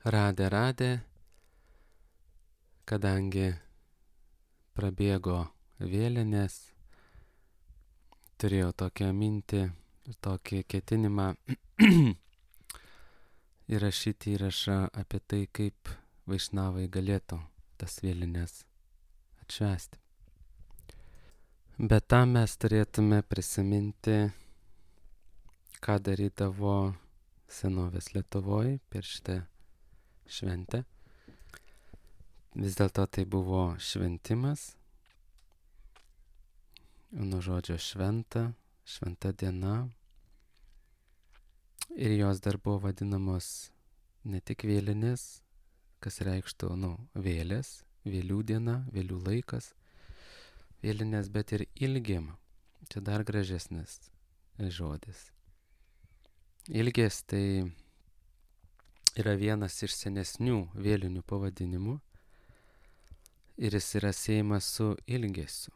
Radė, kadangi prabėgo vėlinės, turėjau tokią mintį, tokį ketinimą įrašyti įrašą apie tai, kaip vaišnavai galėtų tas vėlinės atšvęsti. Bet tam mes turėtume prisiminti, ką darydavo senovės Lietuvoje per šitą šventę. Vis dėlto tai buvo šventimas, nuo žodžio šventa diena. Ir jos dar buvo vadinamos ne tik vėlinės, kas reikštų, vėlės, vėlių diena, vėlių laikas, vėlinės, bet ir ilgim. Čia dar gražesnis žodis. Ilgės tai yra vienas iš senesnių vėlinių pavadinimų ir jis yra siejamas su ilgesiu.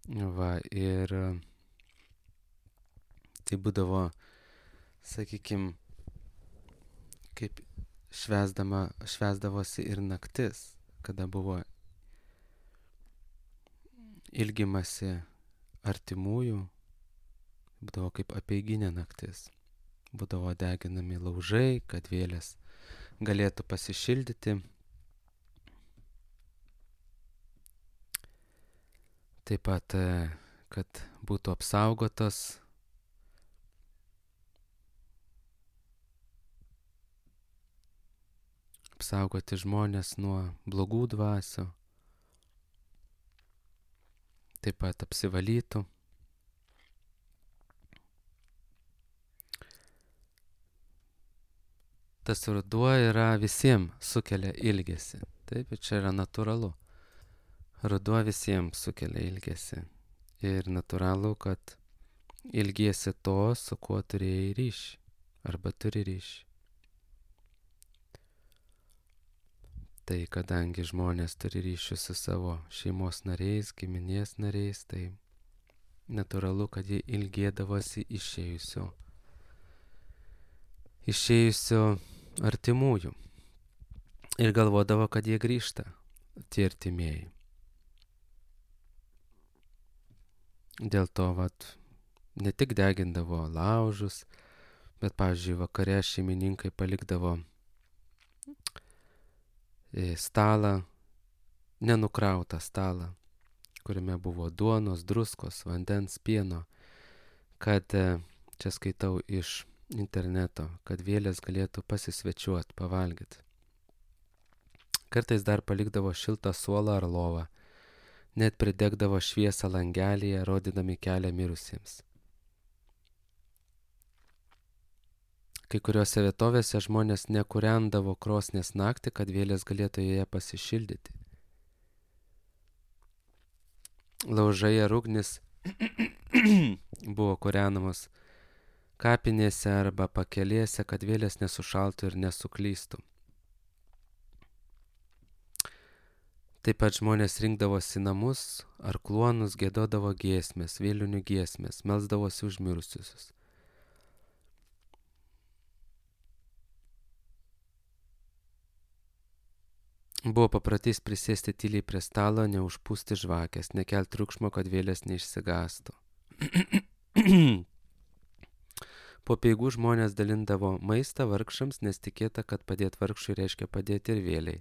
Ir tai būdavo, sakykime, kaip švęsdavosi ir naktis, kada buvo ilgimasi artimųjų, būdavo kaip apeiginė naktis. Būdavo deginami laužai, kad vėlės galėtų pasišildyti. Taip pat, kad būtų apsaugotos apsaugoti žmonės nuo blogų dvasių, taip pat apsivalytų. Tas ruduo yra visiems sukelia ilgesį. Taip, ir čia yra natūralu. Ruduo visiems sukelia ilgesį. Ir natūralu, kad ilgiesi to, su kuo turėjai ryšį. Arba turi ryšį. Tai kadangi žmonės turi ryšių su savo šeimos nariais, giminės nariais, tai natūralu, kad jie ilgėdavosi išėjusio artimųjų. Ir galvodavo, kad jie grįžta, tie artimieji. Dėl to, ne tik degindavo laužus, bet, pavyzdžiui, vakare šeimininkai palikdavo stalą, nenukrautą stalą, kuriame buvo duonos, druskos, vandens, pieno, kad, čia skaitau iš interneto, kad vėlės galėtų pasisvečiuoti, pavalgyti. Kartais dar palikdavo šiltą suolą ar lovą, net pridegdavo šviesą langelyje, rodydami kelią mirusiems. Kai kuriuose vietovėse žmonės nekūrendavo krosnies naktį, kad vėlės galėtų joje pasišildyti. Laužai ar ugnis buvo kūrenamos kapinėse arba pakelėse, kad vėlės nesušaltų ir nesuklystų. Taip pat žmonės rinkdavosi namus ar kluonus, giedodavo giesmės, vėlinių giesmės, melsdavosi už mirusiusius. Buvo paprotys prisėsti tyliai prie stalo, neužpūsti žvakės, nekelti triukšmo, kad vėlės neišsigąstų. Po peigų žmonės dalindavo maistą vargšams, nes tikėta, kad padėti vargšui reiškia padėti ir vėliai.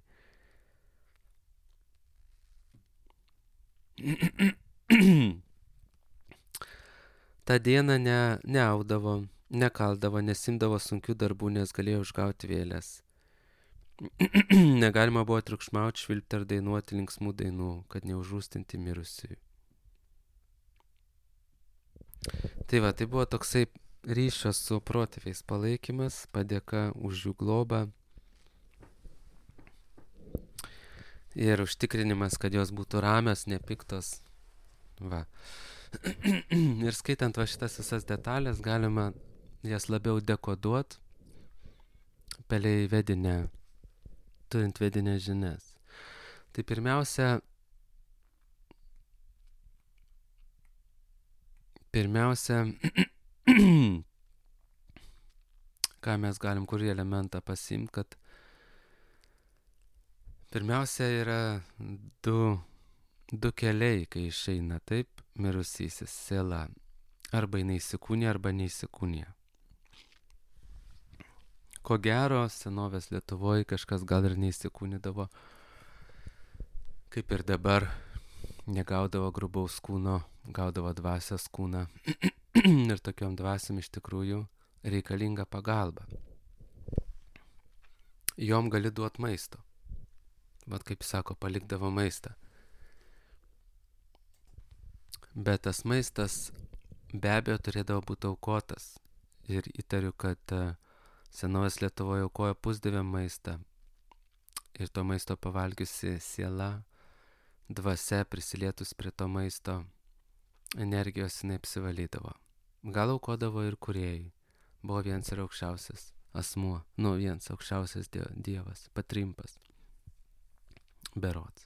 Ta diena neaudavo, nekaldavo, nesimdavo sunkių darbų, nes galėjo užgauti vėlės. Negalima buvo triukšmauti, švilpti ar dainuoti linksmų dainų, kad neužrūstinti mirusiųjų. Tai buvo toksai ryšio su protėviais palaikymas, padėka už jų globą ir užtikrinimas, kad jos būtų ramios, nepiktos. Ir skaitant šitas visas detalės, galima jas labiau dekoduoti pelei vedinę, turint vedinę žinias. Tai pirmiausia, ką mes galim, kurį elementą pasimti, kad pirmiausia yra du keliai, kai išeina taip mirusysis siela. Arba jinai įsikūnija, arba neįsikūnija. Ko gero, senovės Lietuvoje kažkas gal ir neįsikūnydavo, kaip ir dabar, negaudavo grubaus kūno, gaudavo dvasios kūną. Ir tokiom dvasiom iš tikrųjų reikalinga pagalba. Jom gali duoti maisto. Bet kaip sako, palikdavo maistą. Bet tas maistas be abejo turėdavo būti aukotas. Ir įtariu, kad senovės Lietuvoje aukojo pusdievėm maistą. Ir to maisto pavalgiusi siela, dvasia prisilietus prie to maisto, energijos jinai apsivalydavo. Gal aukodavo ir kūrėjai. Buvo vienas ir aukščiausias asmuo. Vienas aukščiausias dievas, Patrimpas. Berods.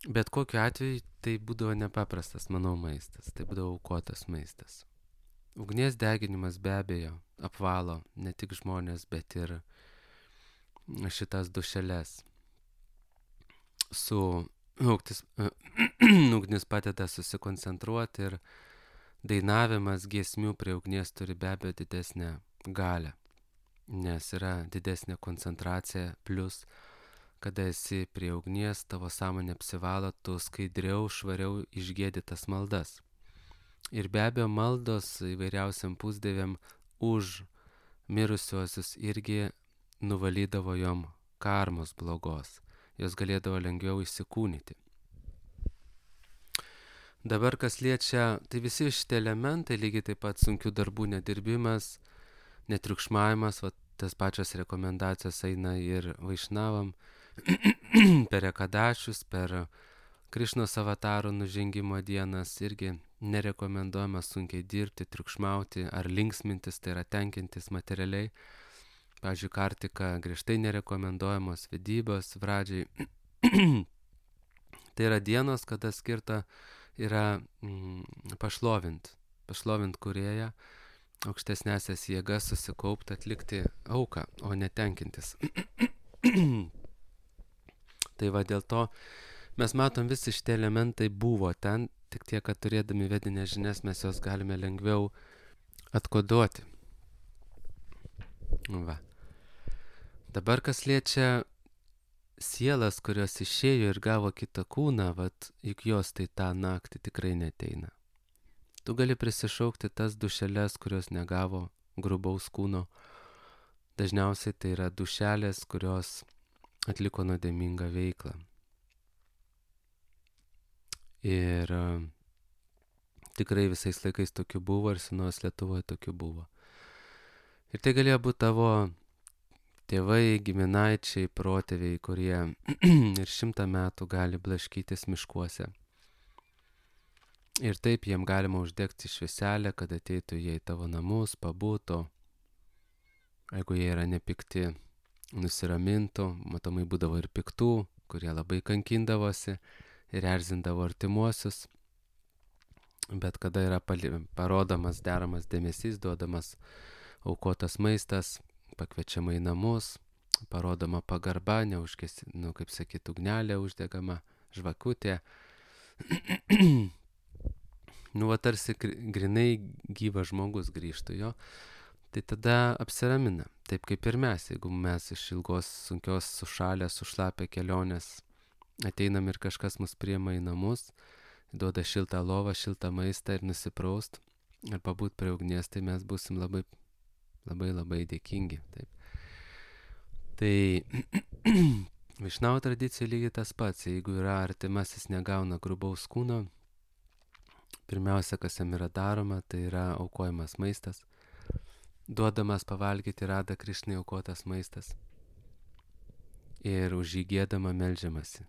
Bet kokiu atveju tai būdavo nepaprastas, manau, maistas. Tai būdavo aukotas maistas. Ugnies deginimas be abejo apvalo ne tik žmonės, bet ir šitas dušeles. Ugnis padeda susikoncentruoti ir dainavimas giesmių prie ugnies turi be abejo didesnę galią, nes yra didesnė koncentracija, plus kada esi prie ugnies, tavo sąmonė apsivalo, tu skaidriau, švariau išgiedi tas maldas. Ir be abejo maldos įvairiausiam pusdieviam už mirusiuosius irgi nuvalydavo jom karmos blogos. Jos galėdavo lengviau įsikūnyti. Dabar kas liečia, tai visi šitie elementai, lygiai taip pat sunkių darbų nedirbimas, netriukšmavimas, tas pačios rekomendacijos eina ir vaišnavam, per ekadašius, per Krišnos avatarų nužengimo dienas irgi nerekomenduojama sunkiai dirbti, triukšmauti ar linksmintis, tai yra tenkintis materialiai. Pavyzdžiui, kartika griežtai nerekomenduojamos, vedybos, pradžiai. Tai yra dienos, kada skirta yra pašlovint kūrėją, aukštesnėsias jėgas susikaupti, atlikti auką, o ne tenkintis. Tai va dėl to mes matom, visi šitie elementai buvo ten, tik tiek, kad turėdami vedinės žinias mes jos galime lengviau atkoduoti. Va. Dabar kas liečia sielas, kurios išėjo ir gavo kitą kūną, juk jos tai tą naktį tikrai neteina. Tu gali prisišaukti tas dušeles, kurios negavo grubaus kūno. Dažniausiai tai yra dušelės, kurios atliko nuodėmingą veiklą. Ir tikrai visais laikais tokių buvo ir senos Lietuvoje tokių buvo. Ir tai galėjo būti tavo tėvai, giminaičiai, protėviai, kurie ir 100 metų gali blaškytis miškuose. Ir taip jiem galima uždegti švieselę, kad ateitų jie į tavo namus, pabūtų. Jeigu jie yra nepikti, nusiramintų, matomai būdavo ir piktų, kurie labai kankindavosi ir erzindavo artimuosius. Bet kada yra parodomas deramas dėmesys, duodamas aukotas maistas, pakviečiama į namus, parodoma pagarba, kaip sakyt, ugnelė uždegama, žvakutė. Tarsi grinai gyvas žmogus grįžtų jo, tai tada apsiramina. Taip kaip ir mes, jeigu mes iš ilgos, sunkios, sušalę, sušlapę kelionės ateinam ir kažkas mus priima į namus, duoda šiltą lovą, šiltą maistą ir nusipraust ir pabūt prie ugnies, tai mes būsim labai, labai, labai dėkingi. Taip. Tai Vaišnavų tradicija lygiai tas pats. Jeigu yra artimasis negauna grubaus kūno, pirmiausia, kas jam yra daroma, tai yra aukojamas maistas. Duodamas pavalgyti Rada Krišnai aukotas maistas. Ir už jį giedama meldžiamasi,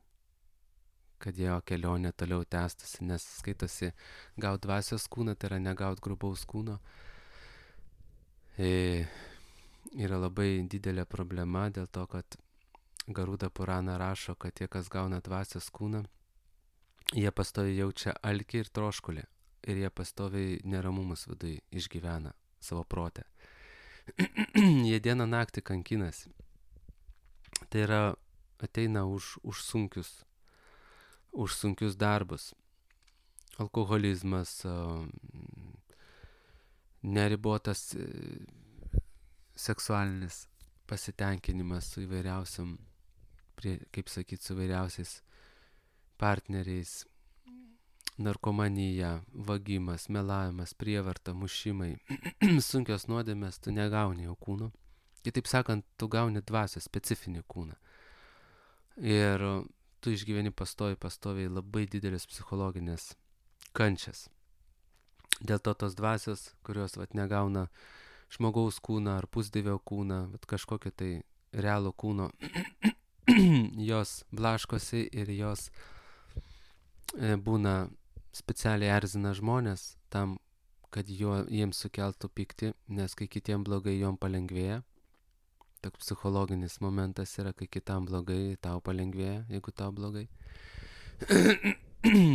kad jo kelionė toliau tęstusi, nes skaitosi gaut dvasios kūną, tai yra negaut grubaus kūno. Yra labai didelė problema dėl to, kad Garuda Purana rašo, kad tie, kas gauna dvasios kūną, jie pastoviai jaučia alkį ir troškulį ir jie pastoviai neramumus viduje išgyvena. savo protę. Jie dieną naktį kankinasi. Tai yra ateina už sunkius darbus. Alkoholizmas, neribotas seksualinis pasitenkinimas su įvairiausiam, su įvairiausiais partneriais, narkomanija, vagimas, melavimas, prievarta, mušimai, sunkios nuodėmės, tu negauni jau kūno. Kitaip sakant, tu gauni dvasios specifinį kūną. Ir tu išgyveni pastoviai labai didelis psichologinės kančias. Dėl to tos dvasios, kurios negauna žmogaus kūną ar pusdievio kūną, bet kažkokio tai realų kūno, jos blaškosi ir jos būna specialiai erzina žmonės tam, kad jiems sukeltų pyktį, nes kai kitiem blogai, jom palengvėja. Toks psichologinis momentas yra, kai kitam blogai, tau palengvėja, jeigu tau blogai.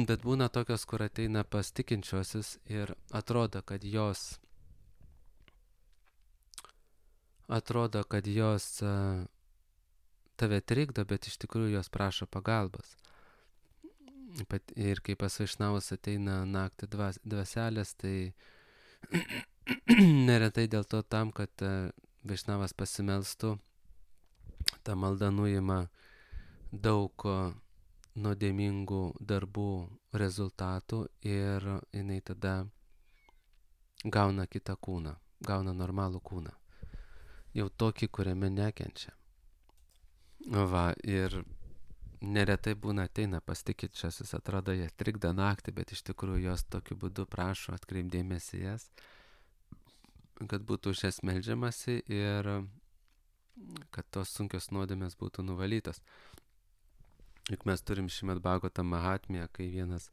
Bet būna tokios, kur ateina pas tikinčiuosius ir atrodo, kad jos tave trikdo, bet iš tikrųjų jos prašo pagalbos. Ir kai pas vaišnavus ateina naktį dvaselės, tai neretai dėl to tam, kad vaišnavas pasimelstų, ta malda nuima daug nuodėmingų darbų rezultatų ir jinai tada gauna kitą kūną, gauna normalų kūną. Jau tokį, kuriame nekenčia. Ir neretai būna ateina pas tikinčiuosius, atrodo, jie trikdo naktį, bet iš tikrųjų jos tokiu būdu prašo atkreipdėmėsi jas, kad būtų už jas meldžiamasi ir kad tos sunkios nuodėmės būtų nuvalytos. Juk mes turim Šrimad Bhagavatam Mahatmyje, kai vienas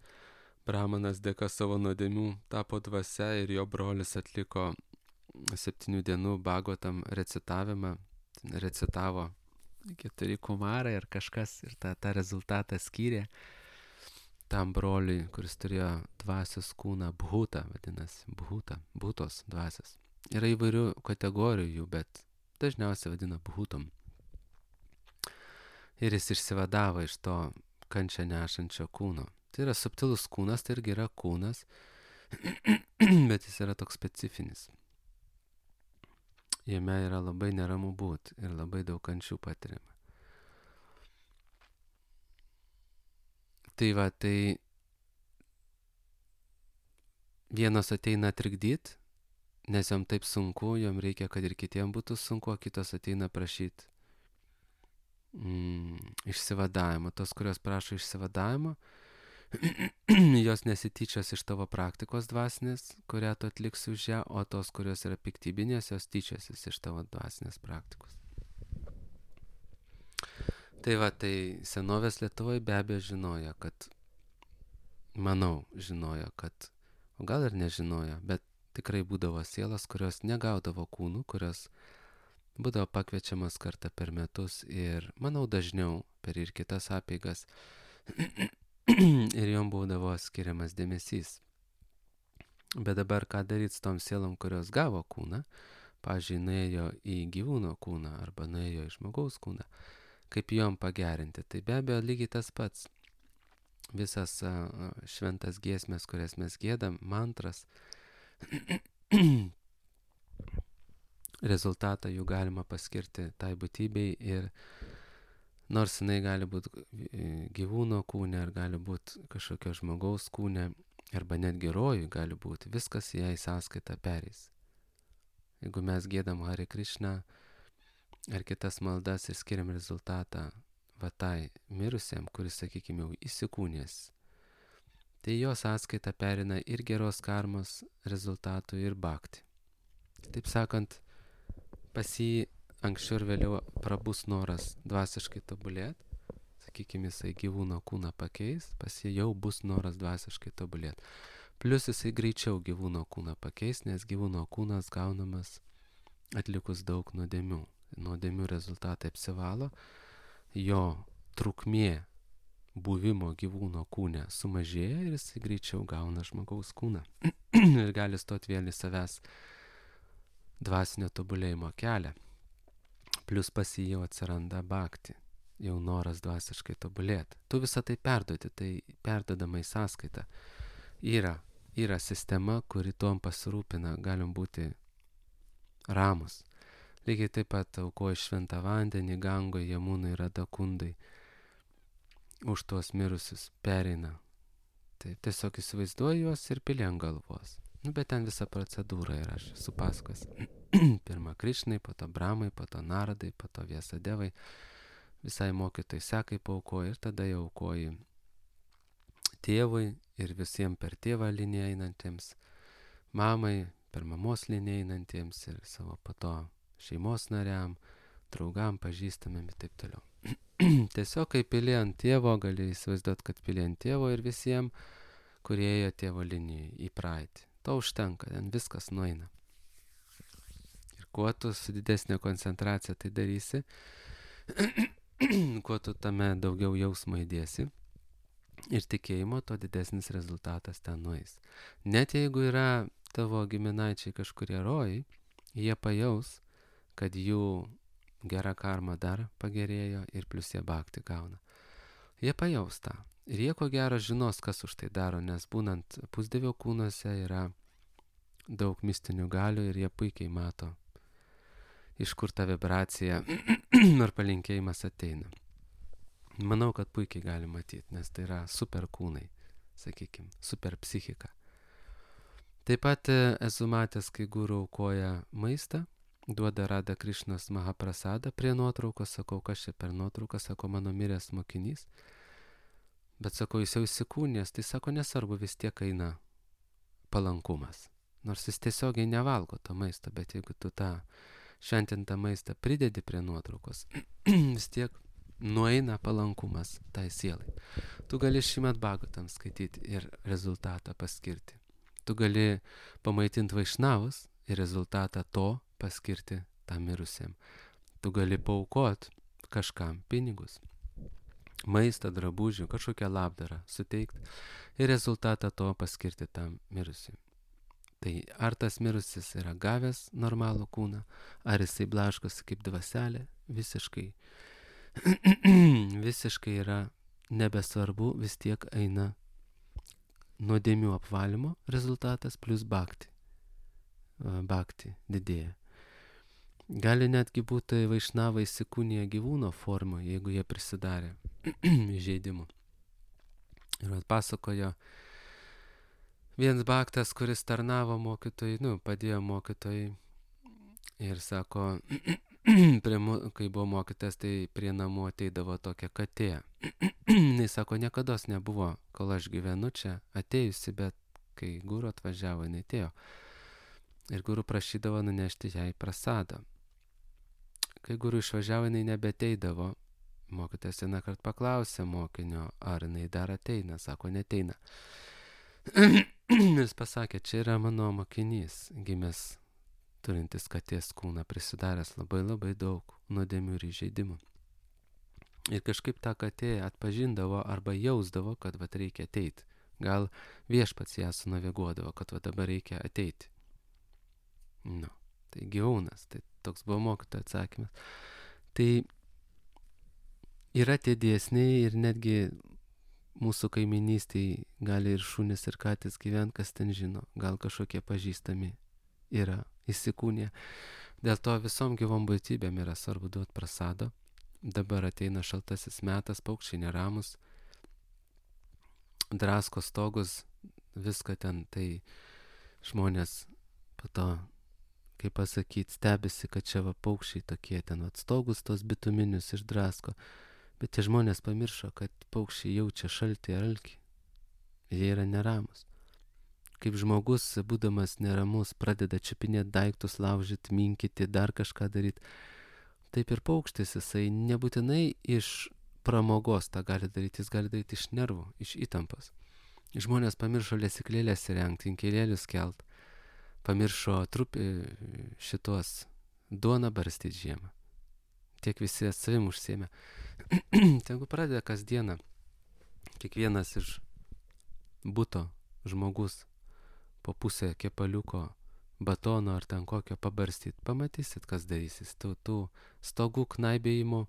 brahmanas dėka savo nuodėmių tapo dvasia ir jo brolis atliko 7 dienų Bhagavatam recitavimą, recitavo 4 kumarai ar kažkas ir tą rezultatą skyrė tam broliui, kuris turėjo dvasios kūną, bhuta vadinasi, bhutos dvasios. Yra įvairių kategorijų jų, bet dažniausiai vadina bhutom. Ir jis išsivadavo iš to kančią nešančio kūno. Tai yra subtilus kūnas, tai irgi yra kūnas, bet jis yra toks specifinis. Jame yra labai neramu būt ir labai daug kančių patiriama. Tai vienos ateina trikdyt, nes jom taip sunku, jom reikia, kad ir kitiem būtų sunku, o kitos ateina prašyti išsivadavimo. Tos, kurios prašo išsivadavimo, jos nesityčios iš tavo praktikos dvasinės, kurią tu atliksi už ją, o tos, kurios yra piktybinės, jos tyčiosis iš tavo dvasinės praktikos. Tai senovės Lietuvoje be abejo žinojo, o gal ir nežinojo, bet tikrai būdavo sielos, kurios negaudavo kūnų, kurios būdavo pakviečiamas kartą per metus ir, manau, dažniau per ir kitas apeigas ir jom būdavo skiriamas dėmesys. Bet dabar ką daryti su tom sielom, kurios gavo kūną, pavyzdžiui, nuėjo į gyvūno kūną arba nuėjo į žmogaus kūną, kaip jom pagerinti. Tai be abejo lygiai tas pats. Visas šventas giesmės, kurias mes giedam, mantras, rezultatą jų galima paskirti tai būtybei ir nors jinai gali būti gyvūno kūne, ar gali būti kažkokio žmogaus kūne, arba netgi rojui gali būti, viskas jai sąskaita pereis. Jeigu mes giedam Hare Krishna ar kitas maldas ir skiriam rezultatą tai mirusiam, kuris, sakykime, jau įsikūnės, tai jo sąskaita perina ir geros karmos rezultatų ir bhakti. Taip sakant, pas jį anksčiau ir vėliau prabus noras dvasiškai tobulėti, sakykime, jisai gyvūno kūną pakeis, pas jį jau bus noras dvasiškai tobulėti. Plius jisai greičiau gyvūno kūną pakeis, nes gyvūno kūnas gaunamas atlikus daug nuodėmių. Nuodėmių rezultatai apsivalo, jo trukmė buvimo gyvūno kūne sumažėja ir jisai greičiau gauna žmogaus kūną ir gali stoti vėl į savęs dvasinio tobulėjimo kelią. Plius pas jį jau atsiranda bhakti, jau noras dvasiškai tobulėti. Tu visą tai perduoti, tai perdodama į sąskaitą. Yra sistema, kuri tuom pasirūpina, galim būti ramus. Lygiai taip pat aukoja šventą vandenį, Gangoje, Jamunai, Radakundai, už tuos mirusius pereina. Tai tiesiog įsivaizduoju juos ir pili ant galvos. Bet ten visa procedūra yra, aš esu pasakojęs. Pirma Krišnai, po to Bramai, po to Naradai, po to Viesadevai. Visai mokytojai sekai paaukoja ir tada jau aukoji tėvui ir visiems per tėvą liniją einantiems, mamai, per mamos liniją einantiems ir savo po to šeimos nariam, draugam, pažįstamėm ir taip toliau. Tiesiog kai pili ant tėvo, gali įsivaizduoti, kad pili ant tėvo ir visiems, kurie ėjo tėvo linijai į praeitį. To užtenka, ten viskas nueina. Ir kuo tu su didesnė koncentracija tai darysi, kuo tu tame daugiau jausmo įdėsi ir tikėjimo, to didesnis rezultatas ten nueis. Net jeigu yra tavo giminaičiai kažkurie rojai, jie pajaus, kad jų gera karma dar pagerėjo ir plus jie bhakti gauna. Jie pajaus tą. Ir jie ko gero žinos, kas už tai daro, nes būnant pusdevio kūnuose yra daug mistinių galių ir jie puikiai mato, iš kur ta vibracija ar palinkėjimas ateina. Manau, kad puikiai gali matyti, nes tai yra super kūnai, sakykime, super psichika. Taip pat esu matęs, kai guru aukoja maistą, duoda Rada Krišnos Mahaprasadą prie nuotraukos, sakau, kas čia per nuotrauką, sako, mano miręs mokinys. Bet sako, jis jau įsikūnės, tai sako, nesvarbu, vis tiek eina palankumas. Nors jis tiesiogiai nevalgo to maisto, bet jeigu tu tą šventintą maistą pridedi prie nuotraukos, vis tiek nueina palankumas tai sielai. Tu gali Šrimad Bhagavatam skaityti ir rezultatą paskirti. Tu gali pamaitinti vaišnavus ir rezultatą to paskirti tam mirusiam. Tu gali paaukoti kažkam pinigus, maistą, drabužių, kažkokią labdarą suteikti ir rezultatą to paskirti tam mirusiam. Tai ar tas mirusis yra gavęs normalų kūną, ar jisai blaškosi kaip dvaselė, visiškai yra nebesvarbu, vis tiek eina nuodėmių apvalymo rezultatas plus bhakti. Bhakti didėja. Gali netgi būti vaišnavai įsikūnija gyvūno forma, jeigu jie prisidarė įžeidimų. Ir atpasakojo vienas bhaktas, kuris tarnavo mokytojai, padėjo mokytojai ir sako, kai buvo mokytas, tai prie namų ateidavo tokia katė. Jis sako, niekados nebuvo, kol aš gyvenu čia, atėjusi, bet kai guru atvažiavo, jinai atėjo. Ir guru prašydavo nunešti jai prasadą. Kai guru išvažiavo, jinai nebeteidavo. Mokytas vieną kartą paklausė mokinio, ar jinai dar ateina. Sako, neteina. Jis pasakė, čia yra mano mokinys, gimęs turintis katės kūną, prisidaręs labai daug nuodėmių ir įžeidimų. Ir kažkaip tą katė atpažindavo arba jausdavo, kad reikia ateiti. Gal viešpats ją sunaviguodavo, kad dabar reikia ateiti. Tai gyvūnas, tai toks buvo mokytojo atsakymas. Tai yra tie dėsniai ir netgi mūsų kaiminystėje gali ir šunys ir katės gyventi, kas ten žino, gal kažkokie pažįstami yra įsikūnė. Dėl to visom gyvom būtybėm yra svarbu duoti prasado. Dabar ateina šaltasis metas, paukščiai neramus, drasko stogus, viską ten, tai žmonės po to, kaip pasakyti, stebisi, kad čia paukščiai tokie ten stogus tos bituminius išdrasko. Bet tie žmonės pamiršo, kad paukščiai jaučia šaltį ir alkį. Jie yra neramus. Kaip žmogus, būdamas neramus, pradeda čiupinėti daiktus, laužyti, minkyti, dar kažką daryti. Taip ir paukštis, jisai nebūtinai iš pramogos tą gali daryti, jis gali daryti iš nervų, iš įtampos. Žmonės pamiršo lesyklėlės įrengti, inkilėlius kelt, pamiršo šitos duoną barstyti žiemą. Tiek visi savim užsiėmė. Tegu pradeda kasdieną kiekvienas iš buto žmogus po pusę kepaliuko batono ar ten kokio pabarstyt, pamatysit, kas darysis. Tų stogų knaibėjimų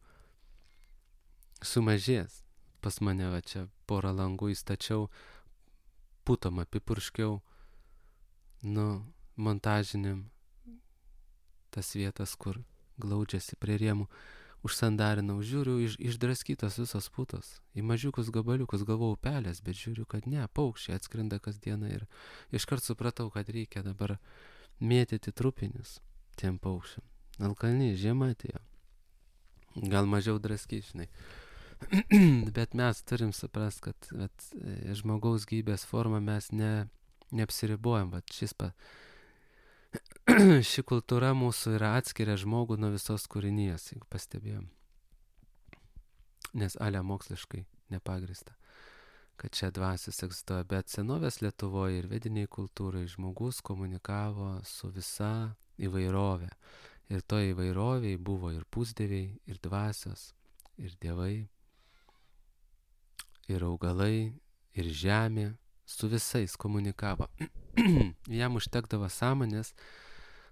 sumažės. Pas mane va čia porą langų įstačiau, putom apipurškiau, montažiniam tas vietas, kur glaudžiasi prie rėmų, užsandarinau, žiūriu, išdraskytos visos putos, į mažiukus gabaliukus, galvojau pelės, bet žiūriu, kad ne, paukščiai atskrenda kasdieną ir iškart supratau, kad reikia dabar mėtyti trupinius tiem paukščiam. Alkani, žiema atėjo. Gal mažiau draskys, žinai. Bet mes turim suprast, kad žmogaus gyvybės forma mes neapsiribuojam. Ši kultūra mūsų yra atskiria žmogų nuo visos kūrinijos, jeigu pastebėjom. Nes moksliškai nepagrįsta, kad čia dvasios egzistuoja. Bet senovės Lietuvoje ir vediniai kultūrai žmogus komunikavo su visa įvairovė. Ir toje įvairovėje buvo ir pusdieviai, ir dvasios, ir dievai, ir augalai, ir žemė, su visais komunikavo. Jam užtekdavo sąmonės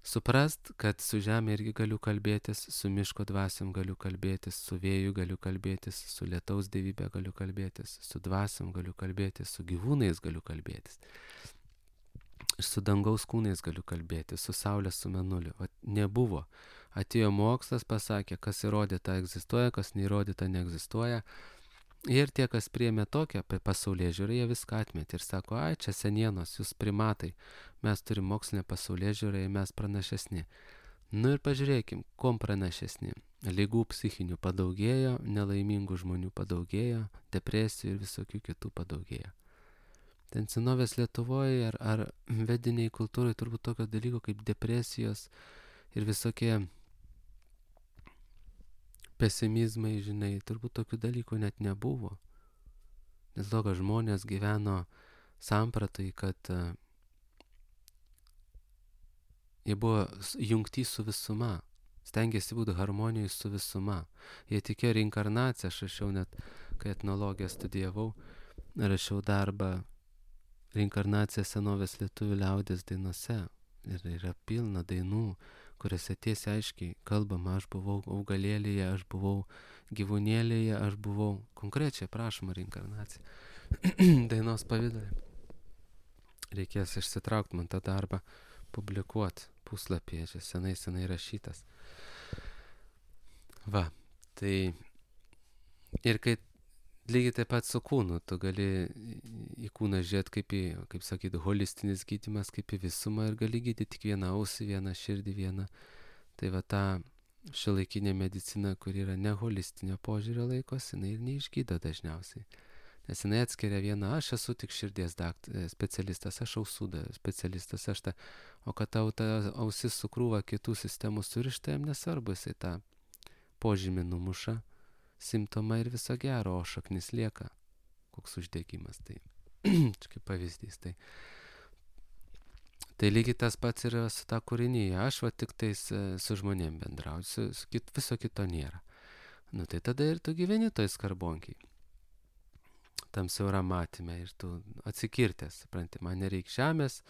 suprast, kad su žemė irgi galiu kalbėtis, su miško dvasiom galiu kalbėtis, su vėju galiu kalbėtis, su lietaus dievybė galiu kalbėtis, su dvasiom galiu kalbėtis, su gyvūnais galiu kalbėtis, su dangaus kūnais galiu kalbėtis, su saulės, su mėnuliu. Nebuvo. Atėjo mokslas, pasakė, kas įrodyta egzistuoja, kas neįrodyta neegzistuoja. Ir tie, kas priėmė tokią pasaulėžiūrą, jie viską atmetė ir sako, čia senienos, jūs primatai, mes turim mokslinę pasaulėžiūrą ir mes pranašesni. Ir pažiūrėkim, kom pranašesni. Ligų psichinių padaugėjo, nelaimingų žmonių padaugėjo, depresijų ir visokių kitų padaugėjo. Ten senovės Lietuvoje ar vediniai kultūrai turbūt tokio dalyko kaip depresijos ir visokie pesimizmai, žinai, turbūt tokių dalykų net nebuvo. Nes to, kad žmonės gyveno sampratai, kad jie buvo jungti su visuma, stengiasi būti harmonijoje su visuma. Jie tikėjo reinkarnaciją, aš rašiau net, kai etnologiją studijavau, rašiau darbą reinkarnacija senovės lietuvių liaudies dainose. Ir yra pilna dainų, kuriuose tiesiai aiškiai kalbama, aš buvau augalėlėje, aš buvau gyvūnėlėje, aš buvau konkrečiai prašoma reinkarnacija. Dainos pavidalė. Reikės išsitraukti man tą darbą, publikuoti puslapyje, čia senai rašytas. Va, tai ir kai lygiai taip pat su kūnu, tu gali į kūną žiūrėti kaip sakyti, holistinis gydymas, kaip į visumą ir gali gydyti tik vieną ausį, vieną širdį, vieną. Tai va ta šiuolaikinė medicina, kur yra ne holistinio požiūrio laikosi, jinai ir neišgydo dažniausiai. Nes jinai atskiria vieną, aš esu tik širdies specialistas, aš ausų specialistas, o kad tau ta ausis su krūva kitų sistemų surišta, jam nesvarbu, jisai tą požymį numuša, simptomą ir viso gero, o šaknis lieka. Koks uždegimas, tai kaip pavyzdys. Tai lygiai tas pats yra su ta kūrinyje. Aš tik tais su žmonėm bendrauju, viso kito nėra. Tai tada ir tu gyveni toj skarbonkiai. Tam siauram matyme ir tu atsikirtęs, supranti, man nereikia žemės,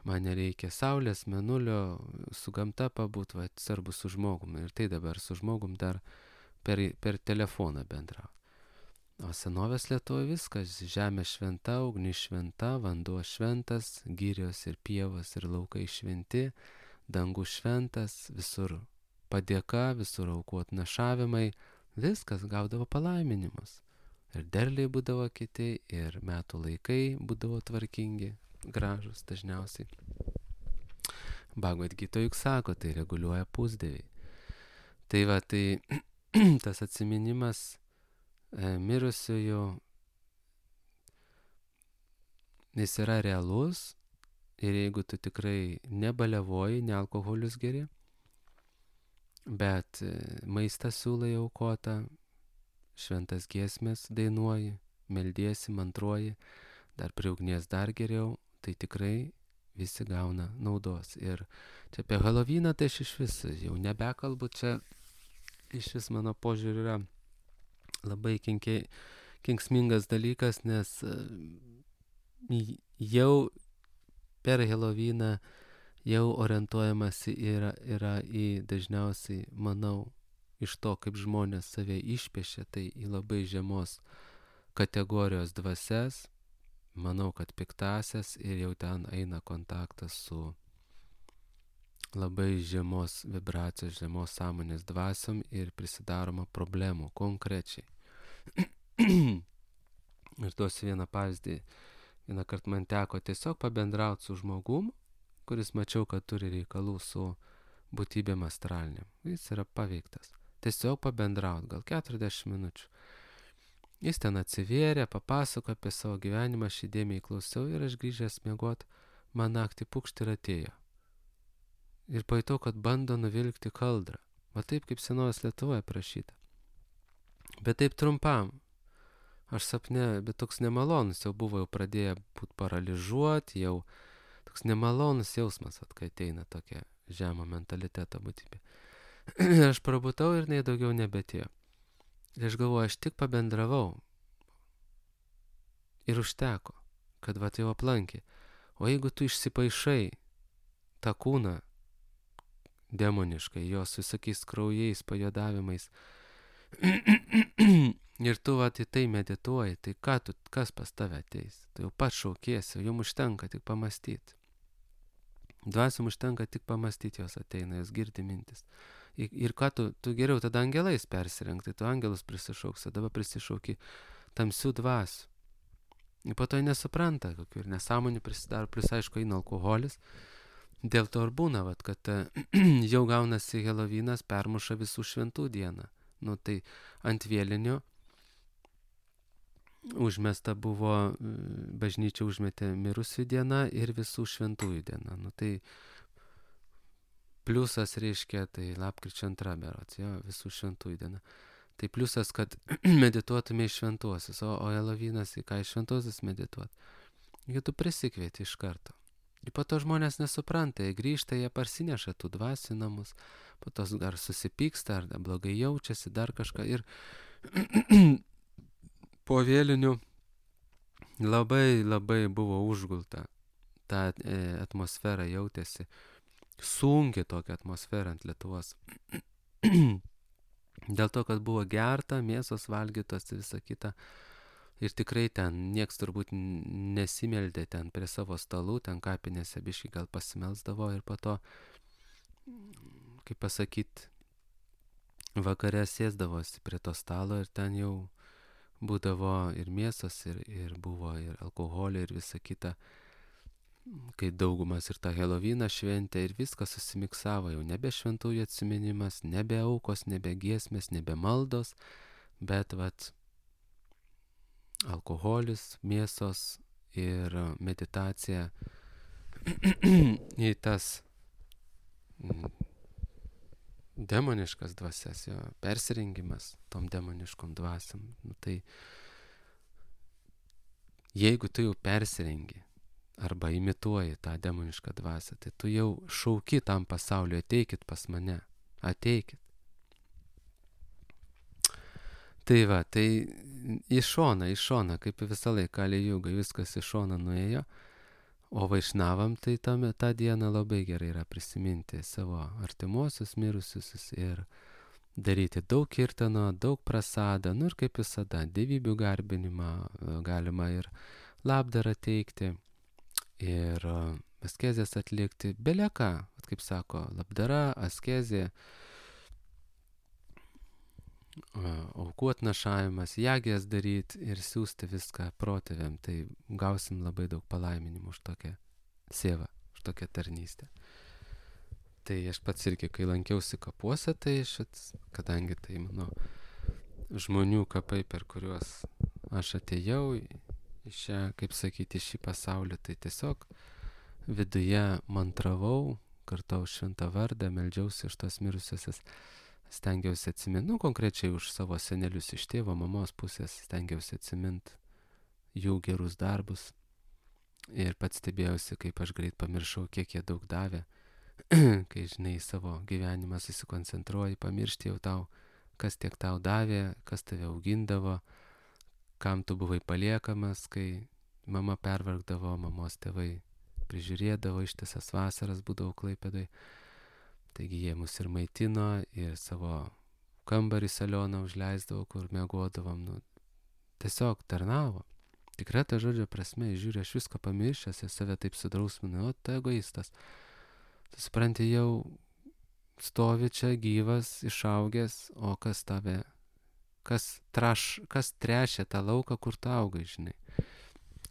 man nereikia saulės, mėnulio, su gamta pabūt, svarbu su žmogum. Ir tai dabar su žmogum dar per telefoną bendrauti. O senovės Lietuvoje viskas, žemė šventa, ugnis šventa, vanduo šventas, girios ir pievos ir laukai šventi, dangus šventas, visur padėka, visur aukot našavimai, viskas gaudavo palaiminimus. Ir derliai būdavo kiti, ir metų laikai būdavo tvarkingi, gražus dažniausiai. Bhagavad Gita juk sako, tai reguliuoja pusdieviai. Tai va, tai tas atsiminimas mirusiųjų, jis yra realus ir jeigu tu tikrai nebaliavoji, ne alkoholius geri, bet maistą siūlai aukotą, šventas giesmės dainuoji, meldiesi, mantruoji, dar prie ugnies dar geriau, tai tikrai visi gauna naudos. Ir čia apie Halovyną tai aš iš vis jau nebekalbu, čia iš vis mano požiūrį yra labai kenksmingas dalykas, nes jau per Halovyną jau orientuojamasi yra į dažniausiai, manau, iš to, kaip žmonės save išpiešia, tai į labai žemos kategorijos dvasias, manau, kad piktasias, ir jau ten eina kontaktas su labai žemos vibracijos, žemos sąmonės dvasiom ir prisidaroma problemų konkrečiai. Ir duosiu vieną pavyzdį. Vieną kartą man teko tiesiog pabendrauti su žmogum, kuris mačiau, kad turi reikalų su būtybėm astraliniam. Jis yra paveiktas. Tiesiog pabendrauti, gal 40 minučių. Jis ten atsivėrė, papasako apie savo gyvenimą, aš įdėmiai klausiau ir aš grįžęs miegot, man naktį pukšt ir atėjo. Ir pajutau, kad bando nuvilkti kaldrą. Va taip, kaip senovės Lietuvoje prašyta. Bet taip trumpam. Aš sapne, bet toks nemalonus jau buvo, jau pradėjo būti paralyžuoti, jau toks nemalonus jausmas, kai ateina tokia žemo mentaliteto būtybė. Aš prabutau ir nei daugiau nebetėjo. Ir aš galvoju, aš tik pabendravau. Ir užteko, kad va tai jau aplankė. O jeigu tu išsipaišai tą kūną demoniškai, jos visokiais kraujais, pajodavimais, ir tu va į tai medituoji, tai kas pas tave ateis? Tu jau pats šaukiesi, jums užtenka tik pamastyti. Dvasiom užtenka tik pamastyti, jos ateina, jos girdi mintis. Ir ką tu geriau tada angelais persirengti, tu angelus prisišauksi, dabar prisišauki tamsių dvasių. Ir po to nesupranta, kokių ir nesąmonių prisidaro, plus aišku eina alkoholis. Dėl to ir būna, vat, kad jau gaunasi Helovynas, permuša visų šventų dieną. Nu tai ant vėlinio užmesta buvo, bažnyčia užmetė mirusių diena ir visų šventųjų diena. Nu tai pliusas reiškia, tai lapkričio 2 berods, jo, visų šventųjų diena. Tai pliusas, kad medituotume į šventuosius, o Helovynas į ką į šventuosius medituoti. Jeigu tu prisikvieti iš karto. Ir po to žmonės nesupranta, jie grįžta, jie parsineša tų dvasių namus, po to ar susipyksta, ar blogai jaučiasi, dar kažką. Ir po vėlinių labai buvo užgulta, ta atmosfera jautėsi, sunki tokia atmosfera ant Lietuvos. Dėl to, kad buvo gerta, mėsos valgytos ir visa kita. Ir tikrai ten nieks turbūt nesimeldė ten prie savo stalų, ten kapinėse biškai gal pasimelsdavo ir po to, kaip pasakyt, vakare sėsdavosi prie to stalo ir ten jau būdavo ir mėsos, ir buvo ir alkoholio ir visa kita, kai daugumas ir tą Helovyną šventė ir viskas susimiksavo, jau nebe šventųjų atsiminimas, nebe aukos, nebe giesmės, nebe maldos, bet vat alkoholis, mėsos ir meditacija į tas demoniškas dvasias, jo persirengimas tom demoniškom dvasiam. Nu, tai jeigu tu jau persirengi arba imituoji tą demonišką dvasią, tai tu jau šauki tam pasauliu, ateikit pas mane, ateikit. Tai va, tai į šoną, kaip visą laiką Kali Jugai, viskas į šoną nuėjo, o Vaišnavam tai tą dieną labai gerai yra prisiminti savo artimuosius mirusius ir daryti daug kirtano, daug prasadą, nu ir kaip visada, dievybių garbinimą galima ir labdarą teikti, ir askezės atlikti, beleką, kaip sako, labdara, askezė, aukų atnašavimas, jagės daryti ir siūsti viską protėviam, tai gausim labai daug palaiminimų už tokią sievą, už tokią tarnystę. Tai aš pats irgi, kai lankiausi kapuose, tai kadangi tai mano žmonių kapai, per kuriuos aš atėjau į šią, kaip sakyti, šį pasaulį, tai tiesiog viduje mantravau, kartau šventą vardą, meldžiausi iš tos mirusiosios. Stengiausi atsiminti, konkrečiai už savo senelius iš tėvo, mamos pusės, stengiausi atsiminti jų gerus darbus ir pats stebėjausi, kaip aš greit pamiršau, kiek jie daug davė, kai, žinai, savo gyvenimą susikoncentruoji, pamiršti jau tau, kas tiek tau davė, kas tave augindavo, kam tu buvai paliekamas, kai mama pervargdavo, mamos tėvai prižiūrėdavo, ištisas vasaras būdavo Klaipėdoj. Taigi jie mus ir maitino, ir savo kambarį salioną užleisdavo, kur miegodavom. Nu, tiesiog tarnavo. Tikrai ta žodžio prasme, žiūrė, aš viską pamiršęs ir save taip sudrausminu, o tu egoistas. Tu supranti, jau stovi čia gyvas, išaugęs, o kas tave, kas trešė tą lauką, kur tu augai, žinai.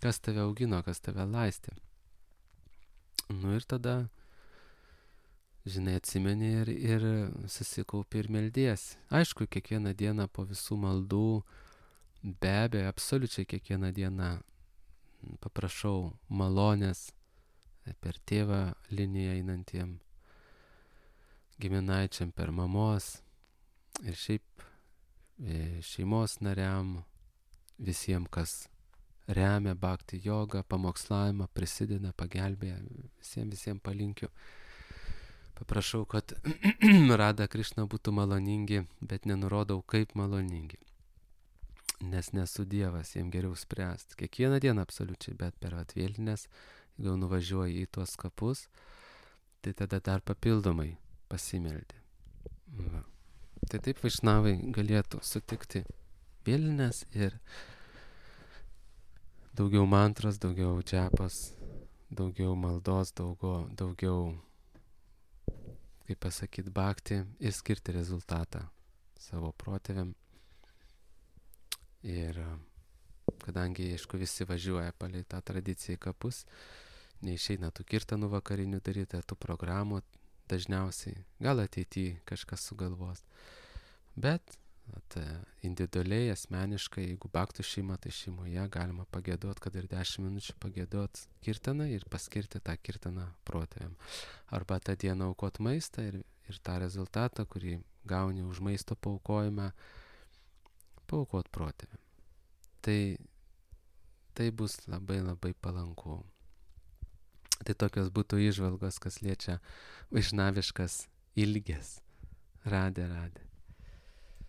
Kas tave augino, kas tave laistė. Nu ir tada, žinai, atsimeni ir susikaupi ir meldiesi. Aišku, kiekvieną dieną po visų maldų, be abejo, absoliučiai kiekvieną dieną paprašau malonės per tėvą liniją einantiem giminaičiam, per mamos ir šiaip šeimos nariam, visiems, kas remia bhakti jogą, pamokslavimą, prisideda, pagelbėja, visiems palinkiu. Paprašau, kad Radha Krišna būtų maloningi, bet nenurodau, kaip maloningi. Nes nesu Dievas, jiems geriau spręsti. Kiekvieną dieną absoliučiai, bet per atvėlinės, jeigu nuvažiuoji į tuos kapus, tai tada dar papildomai pasimeldi. Va. Tai taip vaišnavai galėtų sutikti vėlinės ir daugiau mantros, daugiau džapas, daugiau maldos, daugiau, kaip pasakyti, bhakti ir skirti rezultatą savo protėviam. Ir kadangi, aišku, visi važiuoja palei tą tradiciją į kapus, neišeina tų kirtanų vakarinių daryti, tų programų dažniausiai, gal ateityje kažkas sugalvos. Bet individualiai, asmeniškai, jeigu bhaktų šeima, tai šeimoje galima pagėduoti, kad ir 10 minučių pagėduoti kirtaną ir paskirti tą kirtaną protėviam. Arba tą dieną aukot maistą ir tą rezultatą, kurį gauni už maisto paaukojimą, paaukot protėviam. Tai bus labai labai palanku. Tai tokios būtų įžvalgos, kas liečia vaišnaviškas ilges. Radė.